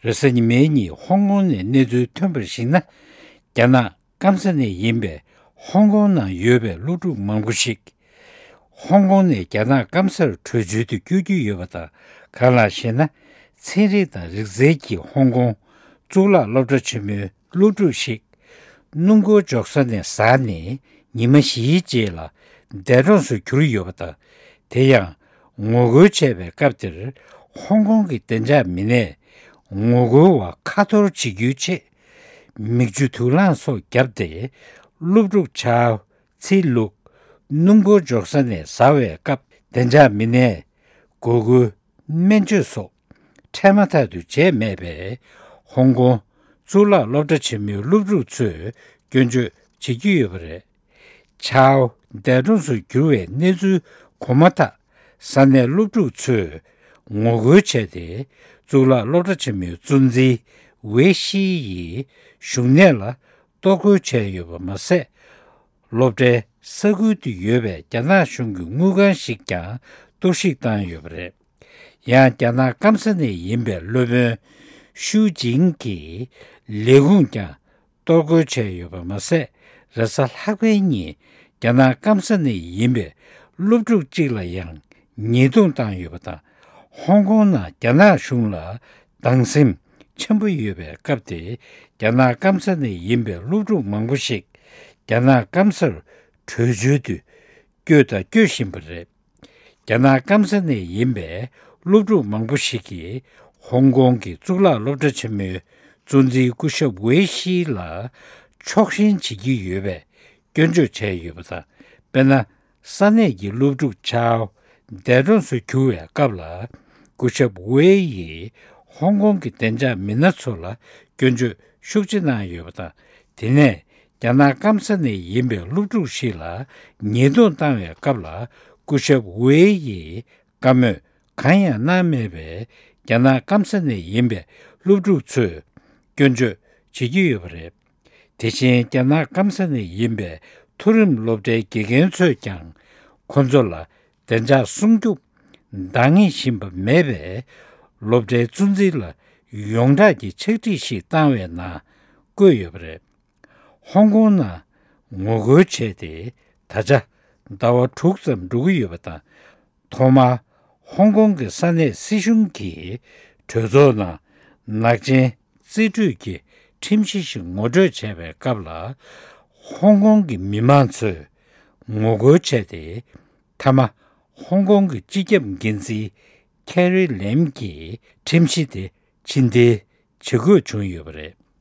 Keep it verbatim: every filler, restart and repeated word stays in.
རེས་གཟའ་ཉི་མའི་ཉིན་ཧོང་ཀོང་ནས་གནས་ཚུལ་ཐོན་པར་གཞིགས་ན། རྒྱ་ནག་སྐམ་ས་ནས་ཡིན་པའི་ཧོང་ཀོང་ནང་ཡོད་པའི་སློབ་ཕྲུག་མང་པོ་ཞིག་ཧོང་ཀོང་ནས་རྒྱ་ནག་སྐམ་སར་བྲོས་བྱོལ་དུ་བསྐྱོད་ཀྱི་ཡོད་པ་དང་། གང་ལགས་ཤེ་ན། ཚན་རིག་དང་རིག་རྩལ་གྱི་ཧོང་ཀོང་གཙུག་ལག་སློབ་གྲྭ་ཆེན་མོའི་སློབ་ཕྲུག་ཞིག་སྣུམ་འཁོར་འཇོག་ས་ནས་ཟགས་ནས་ཉི་མ་བཞིའི་རྗེས་ལ་འདས་གྲོངས་སུ་གྱུར་ཡོད་པ་དང་། དེ་ཡང་ངོ་རྒོལ་བྱས་པའི་སྐབས་དེར་ཧོང་ཀོང་གི་བདེ་འཇགས་མི་སྣས་ངོ་རྒོལ་བ་ཁ་འཐོར་བྱེད་རྒྱུའི་ཆེད་མིག་ཆུ་དུག་རླངས་སོགས་བརྒྱབ་སྟེ། སློབ་ཕྲུག་ཆའོ་ཚི་ལུག་སྣུམ་འཁོར་འཇོག་ས་ནས་ཟགས་པའི་སྐབས་བདེ་འཇགས་མི་སྣས་འགོག་རྒོལ་སྨན་བཅོས་སོགས་འཕྲལ་མ་ཐག་ཏུ་བྱས་མེད་པས། ཧོང་ཀོང་གཙུག་ལག་སློབ་གྲྭ་ཆེན་མོའི་སློབ་ཕྲུག་ཚོས་སྐྱོན་བརྗོད་བྱེད་ཀྱི་ཡོད་པ་རེད། ཆའོ་འདས་གྲོངས་སུ་གྱུར་བའི་གནས་ཚུལ་གོ་མ་ཐག་ས་གནས་སློབ་ཕྲུག་ཚོས་ངོ་རྒོལ་བྱས་ཏེ། གཙུག་ལག་སློབ་གྲྭ་ཆེན་མོའི་གཙོ་འཛིན་ཝེ་ཤི་ཡི་བཞུགས་གནས་ལ་གཏོར་རྒོལ་བྱས་ཡོད་པ་མ་ཟད། སློབ་གྲྭའི་ས་ཁུལ་དུ་ཡོད་པའི་རྒྱ་ནག་གཞུང་གི་དངུལ་ཁང་ཞིག་ཀྱང་གཏོར་བཤིག་བཏང་ཡོད་པ་རེད། ཡང་རྒྱ་ནག་སྐམ་ས་ནས་ཡིན་པའི་སློབ་དཔོན་ཤུའུ་ཅིང་གི་ལས་ཁུངས་ཀྱང་གཏོར་རྒོལ་བྱས་ཡོད་པ་མ་ཟད། རེས་གཟའ་ལྷག་པའི་ཉིན་རྒྱ་ནག་སྐམ་ས་ནས་ཡིན་པའི་སློབ་ཕྲུག་ཅིག་ལ་ཡང་ཉེས་རྡུང་བཏང་ཡོད་པ་དང་། ཧོང་ཀོང་ནང་རྒྱ་ནག་གཞུང་ལ་སྡང་སེམས་ཆེན་པོ་ཡོད་པའི་སྐབས་དེ། རྒྱ་ནག་སྐམ་ས་ནས་ཡིན་པའི་སློབ་ཕྲུག་མང་པོ་ཞིག་རྒྱ་ནག་སྐམ་སར་བྲོས་བྱོལ་དུ་བསྐྱོད་དང་སྐྱོད་བཞིན་པ་རེད། རྒྱ་ནག་སྐམ་ས་ནས་ཡིན་པའི་སློབ་ཕྲུག་མང་པོ་ཞིག་གིས་ཧོང་ཀོང་གི་གཙུག་ལག་སློབ་གྲྭ་ཆེན་མོའི་གཙོ་འཛིན་སྐུ་ཞབས་ཝེ་ཤི་ལ་ཕྱོགས་ཞེན་བྱེད་ཀྱི་ཡོད་པའི་སྐྱོན་བརྗོད་བྱས་ཡོད་པ་དང་། དཔེར་ན། ས་གནས་ཀྱི་སློབ་ཕྲུག་ཆའོ་འདས་གྲོངས་སུ་གྱུར་བའི་སྐབས་ལ། སྐུ་ཞབས་ཝེ་ཡིས་ཧོང་ཀོང་གི་བདེ་འཇགས་མི་སྣ་ཚོ་ལ་སྐྱོན་བརྗོད་ཤུགས་ཆེ་གནང་ཡོད་པ་དང་། དེ་ནས་རྒྱ་ནག་སྐམ་ས་ནས་ཡིན་པའི་སློབ་ཕྲུག་ཞིག་ལ་ཉེས་རྡུང་བཏང་བའི་སྐབས་ལ། སྐུ་ཞབས་ཝེ་ཡིས་བཀའ་མོལ་གང་ཡང་གནང་མེད་པས། རྒྱ་ནག་སྐམ་ས་ནས་ཡིན་པའི་སློབ་ཕྲུག་ཚོས་སྐྱོན་བརྗོད་བྱེད་ཀྱི་ཡོད་པ་རེད། དེ་བཞིན་རྒྱ་ནག་སྐམ་ས་ནས་ཡིན་པའི་མཐོ་རིམ་སློབ་གྲྭའི་དགེ་རྒན་ཚོས་ཀྱང་ཁོ་ཚོ་ལ་བདེ་འཇགས་སྲུང་སྐྱོབ་འདང་ངེས་བཞིན་པ་མེད་པས། སློབ་གྲྭའི་གཙོ་འཛིན་ལ་ཡོངས་གྲགས་ཀྱི་ཕྱག་བྲིས་ཤིག་བཏང་བའི་ནང་བཀོད་ཡོད་པ་རེད། ཧོང་ཀོང་ནང་ངོ་རྒོལ་བྱས་ཏེ་ད་ཆ་ཟླ་བ་དྲུག་ཙམ་འགྲོ་གི་ཡོད་པ་དང་། ཐོག་མར་ཧོང་ཀོང་གི་ས་གནས་སྲིད་གཞུང་གིས་གྲོས་ཚོགས་ནང་ནག་ཅན་རྩིས་སྤྲོད་ཀྱི་ཁྲིམས་གཞི་ཞིག་ངོ་སྤྲོད་བྱས་པའི་སྐབས་ལ། ཧོང་ཀོང་གི་མི་མང་ཚོས་ངོ་རྒོལ་བྱས་ཏེ། མཐའ་མ་ཧོང་ཀོང་གི་སྤྱི་ཁྱབ་འགན་འཛིན་ཁེ་རི་ལེམ་གྱིས་ཁྲིམས་གཞི་དེ་ཕྱིར་འཐེན་བྱེད་དགོས་བྱུང་ཡོད་པ་རེད།